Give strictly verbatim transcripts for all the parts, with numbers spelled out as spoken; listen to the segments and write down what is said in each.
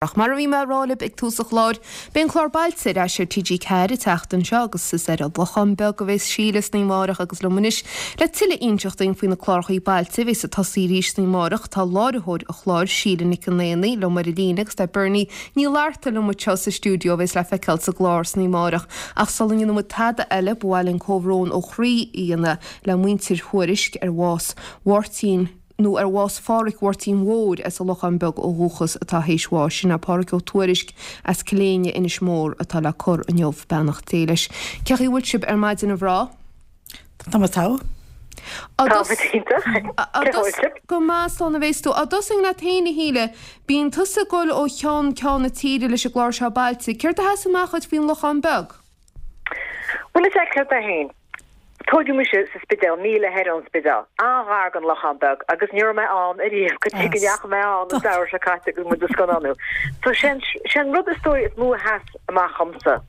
Ach mar a bhí mé a rá libh ag tús an chláir, beidh an clár Bailte ar ais ar T G ceathair an tseachtain seo agus is ar an Lochán Beag a bheas Síle san oíche amárach agus liom anois le tuilleadh a inseacht dúinn faoi na clárachaí Bailte a bheas ag tosaí arís san oíche amárach tá láithreoir an chláir, Síle Nic an Aonaigh, liom ar an líne agus tá Bernie Ní Fhlatharta liom anseo sa stiúideo a bheas le feiceáil sa gclár san oíche amárach. Ach sula ndéanann muid tada eile, ba mhaith linn comhbhrón ó chroí a dhéanamh le muintir Thuairisg ar bhás Mháirtín nó ar bhás Phádhraic Mháirtín Mhóir as an Lochán Beag ó dhúchas atá théis bháis. Sin é Pádhraic Ó Tuairisg as Cill Éinne, Inis Mór atá le cur inniu, beannacht Dé leis. Cén chaoi a bhfuil sibh ar maidin a mhná? Tá muid togha. Á Tá muid iontach. Cén chaoi a bhfuil sibh? Go maith, slán a bhéas tú. Á dtosóinn leat féin, a Shíle. Bíonn tusa ag dul ó cheann ceann na tíre leis an gclár seo Bailte. Céard a sheas amach dhuit faoin Lochán Beag? Bhuel, is ea, céard é féin? Tógadh mise sa Spidéal, míle thoir ón Spidéal, an-ghar don Lochán Beag, agus ní raibh mé ann ariamh go dtí go ndeachaigh mé ann an samhradh seo caite agus muid ag scannánú. So sé an, sé an rud is dóigh is mó a sheas amach dhomsa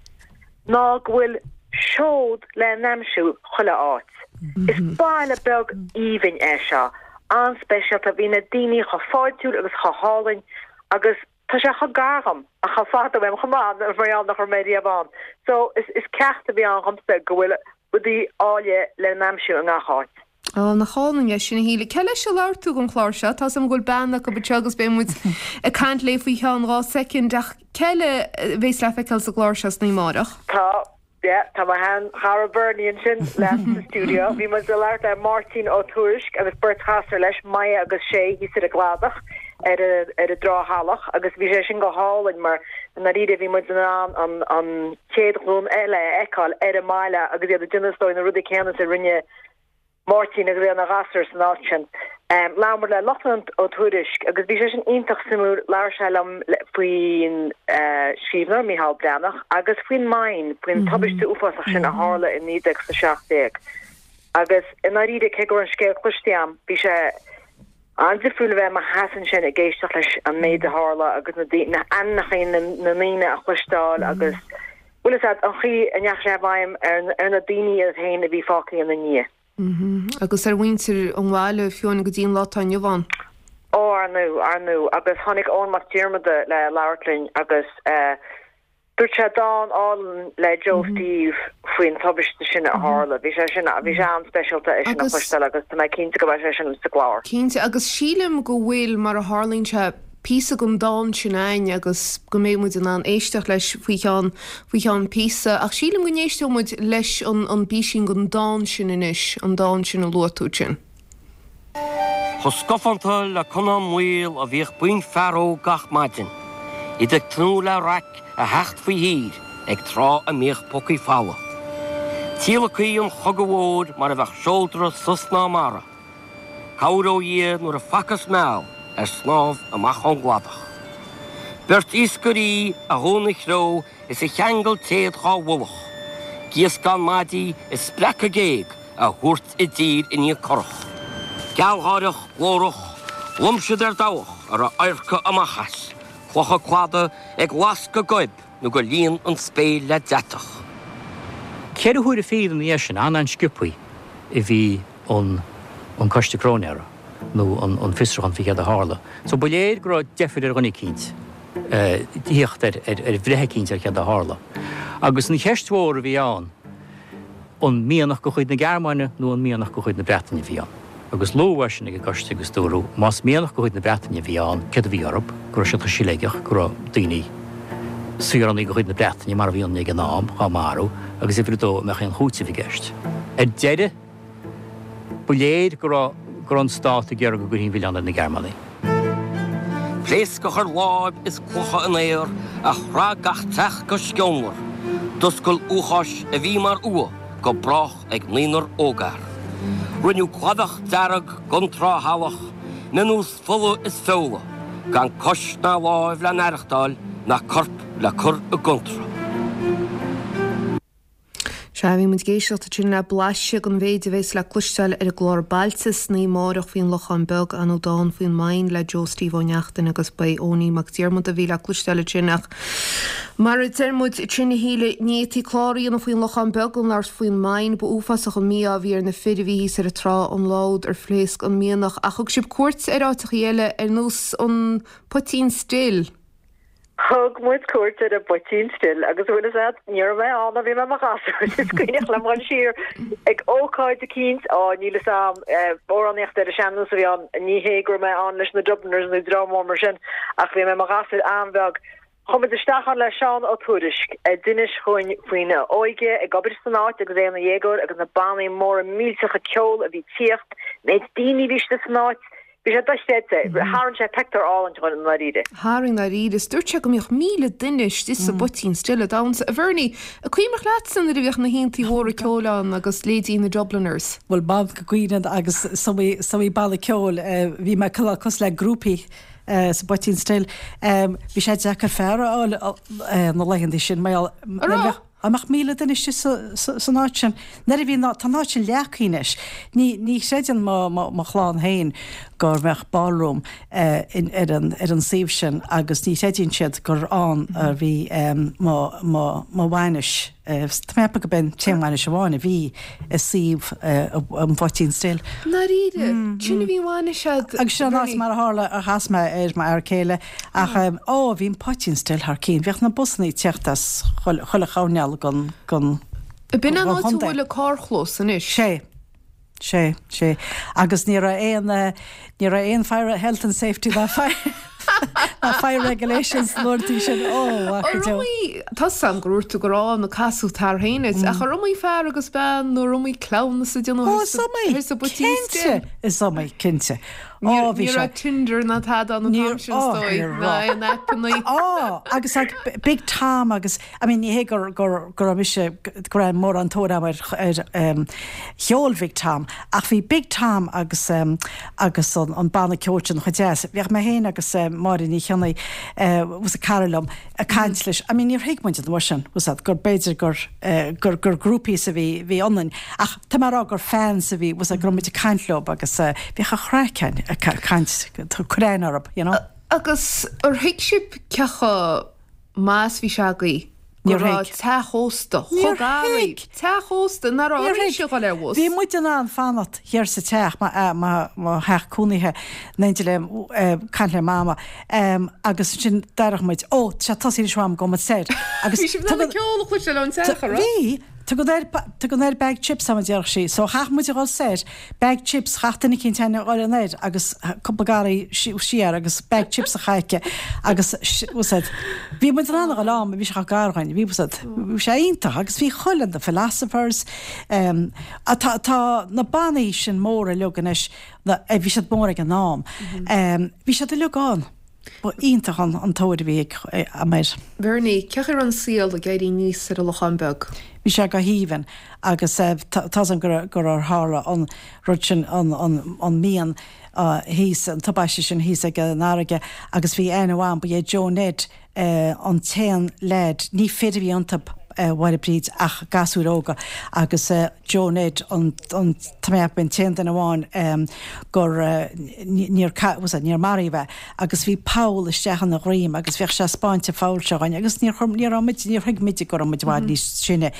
ná go bhfuil seod le n-aimsiú chuile áit. Is baile beag aoibhinn é seo, an-speisialta, bhí na daoine chomh fáiltiúil agus chomh hálainn agus Tá sé chomh gar dhom, ach chomh fada uaim chomh maith, mar gheall nach raibh mé riamh ann. So, is is ceacht a bhí ann dhomsa go bhfuil rudaí áille le n-aimsiú i ngach áit. Á, nach álainn é sin, a Shíle. Cé leis a labhair tú don chlár seo? Tá's agam go bhfuil bean acu anseo agus beidh muid ag caint léi faoi cheann dhá soicind, ach cé eile a bheas le feiceáil sa gclár seo san oíche amárach? Tá. Yeah, tá mo shean-chara Bernie ansin leat sa stiúideo. Bhí muid ag labhairt le Máirtín Ó Tuairisg agus beirt ghasúr leis, Maya agus Shay, thíos ar an gcladach ar ar an dTrá Shalach agus bhí sé sin go hálainn mar i ndáiríre bhí muid in ann an an chéad ghlúin eile a fheiceáil ar an mbaile agus iad ag déanamh is dóigh na rudaí céanna is a rinne Máirtín agus é ina ghasúr san áit sin. Labhair muid le Lochlainn Ó Tuairisg agus bhí sé sin iontach suimiúil. Labhair sé liom faoin scríbhneoir Micheál Breathnach agus faoin mine, faoin tubaiste uafásach sin a tharla i naoi déag a seacht déag. Agus i ndáiríre, cé go raibh an scéal cloiste agam, bhí sé an-difriúil a bheith i mo sheasamh ansin ag éisteacht leis an méid a tharla agus na ainmneacha na ndaoine a chloisteáil agus bhfuil fhios agat, an chaoi a ndeachaigh sé i bhfeidhm ar na daoine iad féin a bhí fágtha ina ndiaidh. Agus ar mhuintir an bhaile, fiú amháin go dtí an lá atá inniu ann. Ó, ar ndú, ar ndú. Agus tháinig Eoin Mac Diarmada le labhairt linn agus dúirt sé dán álainn le Joe Steve faoin tubaiste sin a tharla. Bhí sé sin, bhí sé an-speisialta é sin a chloisteáil agus tá mé cinnte go mbeidh sé sin sa gclár. Cinnte, agus sílim go bhfuil, mar a tharlaíonn sé, píosa den dán sin a'ainn agus go mbeidh muid in ann éisteacht leis faoi cheann, faoi cheann píosa. Ach sílim go n-éisteoidh muid leis an, an bpísín den dán sin anois, an dán sin a luaigh tú ansin. Chomh scafánta le conán maol a bhíodh buíon fear óg gach maidin, iad ag tnúth le raic a theacht faoi thír ag tráth a mbíodh pócaí folamh. Tíolacthaí an chogaidh mhóir mar a bheadh seodra suas ná mara. Cabhair ó Dhia nuair a facthas meall ar snámh amach ón gcladach. Beirt iascairí a dhún an chreo is a cheangail téad dhá mhullach, gíoscán maidí ag spreacadh géag a thabhairt i dtír i ndiaidh curach. Gealgháireach, glórach, lom siad ar dabhach a raibh adharca amach as, clocha cladaigh ag lascadh goib nó gur líon an spéir le deatach. Ceithre huaire fichead ina dhiaidh sin, an-an-sciobthaí a bhí an an coiste cróinéara nó an an fiosrúchán faoi céard a tharla. So ba léir go raibh deifir ar dhuine eicínt tíocht ar ar ar bhreith eicínt ar céard a tharla. Agus an cheist mhór a bhí ann, an mianach de chuid na Gearmáine nó an mianach de chuid na Breataine a bhí ann. Agus luadh é sin ag an gcoiste agus dúradh más mianach de chuid na Breataine a bhí ann, céard a bhí orthu, go raibh siad chomh siléigeach, go raibh daoine, saoránaigh de chuid na Breataine mar a bhí ionann ag an am, dhá marú agus uimhir a dó an mbeadh aon chúiteamh i gceist. Ar deireadh, Ba léir go raibh go raibh an stát ag iarraidh go gcuirfí an milleán ar na Gearmánaigh. Pléasc a chuir láib is clocha in aer, a shraith gach teach go sceonmhar, d'oscail uafáis a bhí mar fhuath go brách ag naonúr ógfhear. Rinneadh cladach dearg den Trá Shalach, mionús fola is feola, gan cois ná láimh le n-aireachtáil ná corp le cur i gcontra. Sea, bhí muid ag éisteacht ansin le blaiseadh den mhéid a bheas le cloisteáil ar an gclár Bailte san oíche amárach faoin Lochán Beag, ar ndóigh dán faoin mine le Joe Steve Ó Neachtain agus ba é Eoiní Mac Diarmada a bhí le cloisteáil ansin ach mar a deir muid ansin a Shíle, ní fhéadfaí clár a dhéanamh faoin Lochán Beag gan labhairt faoin mine. Ba uafásach an mí-ádh a bhí ar na fir a bhí thíos ar an trá an lá úd ar phléasc an mianach ach thug sibh cuairt ar áiteachaí eile ar nós an Poitín Stil. Thug muid cuairt ar an bPoitín Stil agus bhfuil fhios a'd ní raibh mé ann bhí mé i mo ghasúr is cuimhneach liom dhul siar ag ócáid eicínt á níl fhios a'm amhránaíocht ar an sean-nós a bhí ann ní hé go raibh mé ann leis na Dubliners nó dream mór mar sin ach bhí mé i mo ghasúr an-bheag. Chuaigh muid isteach ann le Seán Ó Tuairisg a d'inis dhúinn faoina óige ag obair san áit agus é ina dhéagóir agus na bannaí móra millteacha ceoil a bhí ag tíocht, méid daoine a bhí istigh san áit. Bhí sé dochreidte. Tharraing sé pictiúr álainn dhúinn i ndáiríre. Tharraing dáiríre. Is dúirt sé go mbíodh míle duine istigh sa bPoitín Stil ag damhsa. A Bhernie, an cuimhneach leatsa nuair a bhíodh na haontaí mhóra ceoil ann agus leithéidí na Dubliners? Bhuel, b'ann go gcuimhním agus is iomaí, is iomaí banna ceoil, bhí mé cosúil le groupie sa bPoitín Stil. Bhí sé deacair fear a fháil na laethanta sin mar gheall, An mbeadh míle duine istigh san áit sin? Nuair a bhí, tá an áit sin leagtha anois. Ní, ní chreideann mo, mo, mo chlann féin go mbeadh ballroom ar an, ar an suíomh sin agus ní chreideann siad gur ann a bhí mo, mo, mo bhainis. Tá mé ag ceapadh gurb é an t-aon bhainis amháin a bhí i suíomh an Phoitín Stil. Ndáiríre? Sin a bhí an bhainis a'd? Agus sin an áit mar a tharla a chas mé ar m'fhear céile ach ó bhí an Poitín Stil thar cinn. Bhíodh na busanna ag teacht as chuile choirnéal den den B'in an áit a bhfuil an carrchlós anois? Sé. Sé, sé. Agus ní raibh aon, ní raibh aon fire, health and safety ná fire, ná fire regulations na uaireanta sin. Ó, mhac go deo. Ar iomaí, tá 'fhios a'm gur dhúirt tú go raibh na casadh tar féin ait, ach ar iomaí fear agus bean nó ar iomaí cleamhnas a déanadh Ó, is iomaí, thoir sa bPoitín Stil? cinnte, is iomaí, cinnte. Ní Ó, bhí sé. raibh Tinder ná tada ann an t-am sin, is dóigh, ná aon aipeanna. Ó, agus like Big Tom agus, I mean, ní hé gur, gur, go raibh mise, go raibh mórán tóir agam ar, ar um, cheol Bhig Tom, ach bhí Big Tom agus um, agus an, an banna ceoil sin chomh deas. Bhíodh mé féin agus uh, Máire Ní Chionnaith, uh, was a cara liom, ag caint leis. I mean, níor thuig muid an uair sin, was that, gur b'fhéidir gur, uh, gur, gur groupies a bhí, bhí ionainn. Ach tá mé ag rá gur fans a bhí, was that, go raibh muid ag caint leo agus uh, bhíodh an chraic againn ag caint, cur aithne orthu, you know. Agus ar thuig sibh cé chomh maith is bhí sé agaibh go Níor raibh thuig. teach ósta Níor chomh gar thuig. daoibh, teach ósta nach raibh Níor oraibhse thuig. a dhul ar bhus. Bhí muid in ann fanacht thiar sa teach, mo, mo, mo theach cónaithe, in éindí le, caint le mama, agus ansin déarfadh muid, ó, tá sé tosaithe anois uaim, gabhfaidh muid soir. Agus Bhí sibh in ann an ceol a chloisteáil ón teach, an raibh? Bhí! Tugann air, tugann air bag chips agam a déarfadh sí. So chaith muid a dhul soir, bag chips, chaith duine eicínt a dhul anoir agus cúpla garraí siar agus bag chips a chaith aici agus was it, bhí muid in ann a dhul ann, bhí sé chomh gar dhúinn, bhí was it, bhí sé iontach agus bhí chuile, the Philosophers, um, tá, tá na bannaí sin mór uilig anois, na, bhí siad mór ag an am, um, bhí siad uilig ann. Ba iontach an an tóir a bhí ag am air. Bernie, cén chaoi a raibh an saol ag éirí aníos ar an Lochán Beag? Bhí sé go haoibhinn agus tá 's agam gur gur tharla an rud sin an an an mian thíos, an tubaiste sin thíos ag an fharraige agus bhí aithne agam, ba é Joe Ned an t-aon leaid, ní fir a bhí iontu, a Mháire Bríd ach gasúir óga agus Joe Ned an an tá mé an t-aon duine amháin gur níor was it níor maraíodh é agus bhí poll isteach ina dhroim agus bhíodh sé ag 'spáint an pholl seo dhúinn agus níor chuir ní raibh muid níor thuig muide go raibh muid i bhfad níos sine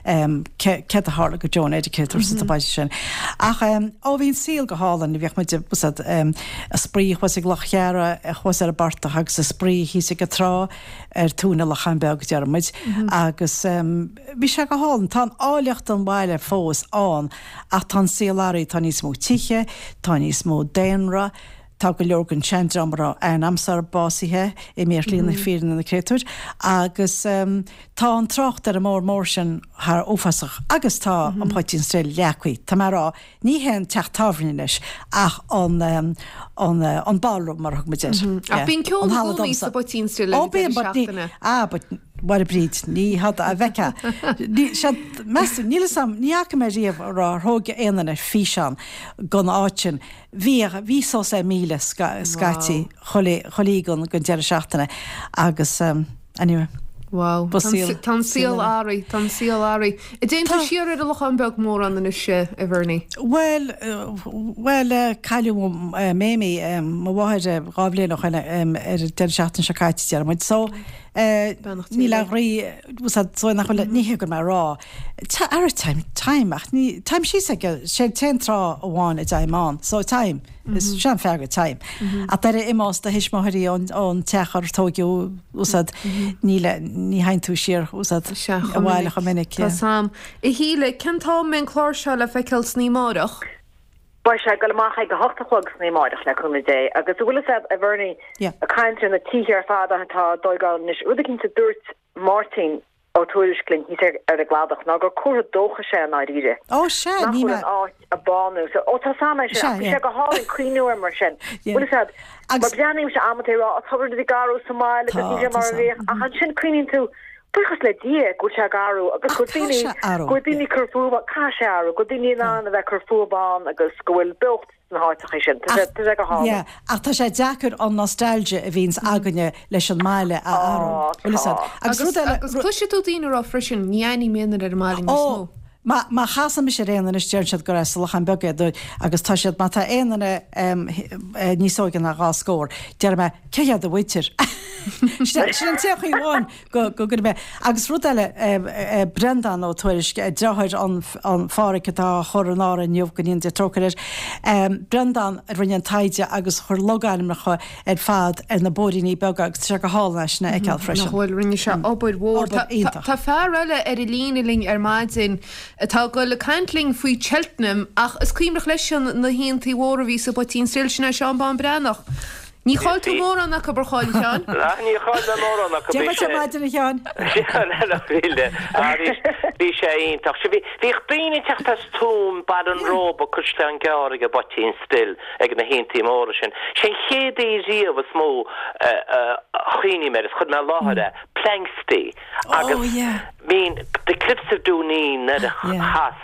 céard a tharla go Joe Ned céard sa tubaiste sin. Ach ó bhí an saol go hálainn bhíodh muid was it ag spraoi thuas ag Loch Cheara thuas ar an bportach agus ag spraoi thíos ag an trá ar tóin an Locháin Beag a deir muid agus bhí sé go hálainn. Tá an áilleacht an bhaile fós ann ach tá an saol athraithe, tá níos mó tithe, tá níos mó daonra, tá go leor den seandream a raibh aithne a'msa orthu básaithe, imithe ar shlí na fírinne na créatúir, agus tá an trácht ar an mbóthar mór sin thar uafásach agus tá an Poitín Stil leagtha, tá mé a rá, Ní hé an teach tábhairne anois ach an an an ballroom mar a thug muid air. Ach bíonn ceol i gcónaí sa bPoitín Stil ag an deireadh seachtaine. Ah but Mháire Bríd, ní hada a bheicfeá. Ní sea meas tú, níl 'fhios a'm, ní fhaca mé riamh a raibh ar thóg aon duine físeán gon áit sin. Bhíodh, bhí suas le míle scaití chuile chuile oíche gon deireadh seachtaine agus anyway. Wow. Tá an saol athraithe, tá an saol athraithe. An dtéann tú siar ar an Lochán Beag mórán anois, a Bhernie? Bhuel, bhuel, cailleadh Mamie, mo mháthair, dhá bhliain ó shoin ar an deireadh seachtaine seo caite, deir muid. So, níl aon bhrí, so nach bhfuil, ní hé go mé a rá, ara táim, táim, ach ní, táim síos ag, sé an t-aon trá amháin a dtéim ann, so táim. Is sin an freagra atá agam. Ach nuair a imeos do thuismitheoirí ón ón teach ar tógadh úsáid ní le ní théann tú siar úsáid abhaile chomh minic. Tá sam. A Shíle, cén t-am a mbeidh an clár seo le feiceáil san oíche amárach? Beidh sé ag dul amach ag a hocht a chlog san oíche amárach le cúnamh Dé agus an bhfuil fhios a'd a Bhernie ag caint ar na tithe ar fad atá á dtóigeáil anois, rud eicínt a dúirt Máirtín Ó Tuairisg linn thíos ar ar an gCladach ná gur comhartha dóchais é i ndáiríre. Ó sea, Nach ní bhfuil mé. an áit ag bánú. So, ó tá sam é sin, Sea, ach bhí yeah. sé go hálainn cuimhniú air mar sin. Yeah. Bhfuil fhios a'd, mar Agus breathnaímse amanta ag rá, ó tá rudaí ag athrú sa mbaile agus Tá, níl sé tá mar a sam. bhíodh, ach ansin cuimhníonn tú, buíochas le Dia go bhfuil sé ag athrú agus Ach go bhfuil tá daoine, sé athrú, go bhfuil daoine yeah. ag cur fúthu, caithfidh sé athrú, go bhfuil daoine in ann a bheith ag cur fúthu ann agus go bhfuil beocht sna háiteacha sin. Tá sé, tá sé go hálainn. Yeah, ach tá sé deacair an nostalgia a bhíonns againne leis an mbaile a athrú. Ó, Bhfuil fhios a'd? tá. Agus Agus rud eile, agus cloisfidh tú daoine ag rá freisin, ní aithním aon duine ar an mbaile níos Ó, mó. má má chasann mise ar aon duine anois deireann siad gur as an Lochán Beag é agus tá siad má tá aon duine um, eh, níos óige ná dhá scór, deir mé cé hiad do mhuintir. Sin sin an t-aon chaoi amháin go go go mé. Agus rud eile eh, eh, Brendan Ó Tuairisg eh, deartháir an an Pháraic atá á chur in Árainn inniu go ndéana Dia trócaire air. Um, Brendan a rinne an taighde agus chuir logainmneacha ar fad ar na bóithríní beaga agus tá sé go hálainn é sin a fheiceáil freisin. Nach bhfuil rinne sé obair mhór. Obair Tá- tá- iontach. Tá fear eile ar an líne linn ar maidin atá ag dul ag caint linn faoi Cheltenham ach is cuimhneach leis an na haontaí mhóra a bhí sa bPoitín Stil sin é Seán Bán Breathnach. Ní chaill tú mórán acu ar chaill Sheáin? Ah, ní chaill mé mórán acu Déarfaidh sé maidin a Sheáin. Bhí sé iontach. Bhí bhíodh daoine ag teacht as Tuaim Baile an Róba Caisleán Gearr ag an bPoitín Stil ag na haontaí móra sin. Sé an chéad oíche riamh is mó a chuimhním air is chuir mé i láthair é, Planxty agus Oh, yeah. mean the Cliffs of Dooneen nuair a Yeah. chas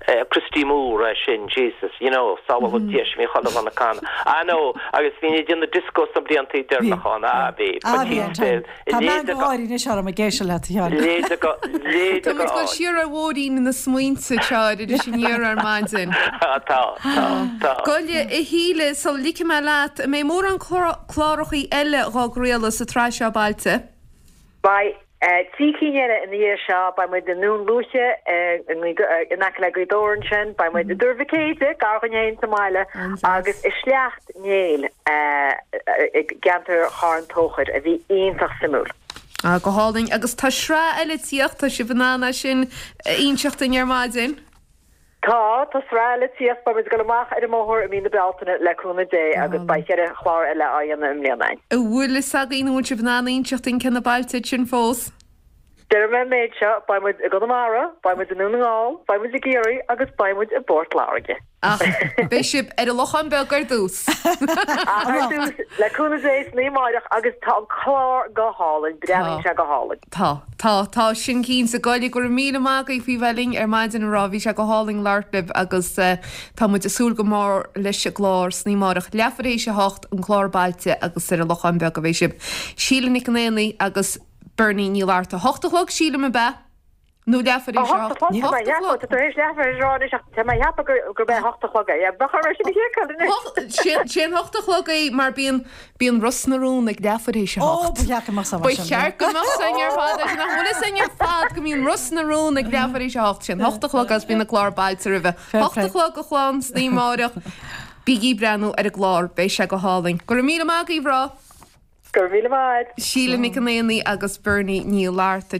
uh, Christy Moore é sin Jesus you know sábháil Dia bhí chuile dhuine ag canadh. I know agus bhí ní na disco sna blianta deireanacha á bhí Ah, bhí an time. Tá mean go háirí anois orm ag éisteacht leat a Sheáin. Léide go léide Tá muid go dul siar ar bhóithrín na smaointe seo iris aniar ar maidin. Tá tá tá. Goile a Shíle sula ligfidh mé leat, an mbeidh mórán clárachaí eile dhá gcraoladh sa tsraith seo Bailte. Beidh eh, trí cinn eile ina dhiaidh seo, beidh muid i nDún Lúiche eh, in in aice le Gaoth Dobhair ansin, beidh muid i dTuar Mhic Éide, gar dhúinn fhéin sa mbaile, agus i Sleacht Néill eh, i gceantar Charn Tóchair a bhí iontach suimiúil. Ah, go hálainn agus tá sraith eile ag tíocht tá sibh in ann é sin a inseacht dúinn ar maidin. Tá tá sraith eile ag tíocht beidh muid ag dul amach ar an mbóthar i mí na Bealtaine le cúnamh Dé agus beidh ceithre chlár eile á dhéanamh i mbliana. An bhfuil fhios againn an bhfuil sibh in ann inseacht dúinn cé na bailte sin fós. Déarfaidh mé an méid seo, beidh muid i gConamara, beidh muid i nDún na nGall, beidh muid i gCiarraí agus beidh muid i bPort Láirge. Ach beidh sibh ar an Lochán Beag ar dtús. Ach ar dtús le cúnamh Dé san oíche amárach agus tá an clár go hálainn, breathnaíonn sé go hálainn. Tá tá tá sin cinnte goile go raibh míle maith agaibh faoi bheith linn ar maidin a rá bhí sé go hálainn labhairt libh agus uh, tá muid ag súil go mór leis an gclár san oíche amárach leathuair théis a hocht an clár Bailte agus ar an Lochán Beag a bheidh sibh. Síle Nic an Aonaigh agus Bernie Ní Fhlatharta hocht a chlog sílim ab ea nó leathuair théis a Hocht a hocht. chlog, tá mé ag ceapadh, tá tar éis leathuair théis a rá anois ach tá mé ag ceapadh gur gurb é hocht a chlog é. Ba chóir sin a sheiceáil anois. Hocht- Sé an hocht a chlog é mar bíonn bíonn Ros na Rún ag leathuair théis a Ó, hocht. ba cheart go mbeadh Ba cheart go mbeadh sin ar fad nach bhfuil sin ar fad go mbíonn Ros na Rún ag leathuair théis a hocht sin hocht a chlog agus bíonn na clár Bailte roimhe. Hocht a chlog a chlann san oíche amárach. Bígí ag breathnú ar an gclár beidh sé go hálainn. Go raibh míle maith agaibh rá Go raibh míle maith. Síle Nic an Aonaigh agus Bernie Ní Fhlatharta.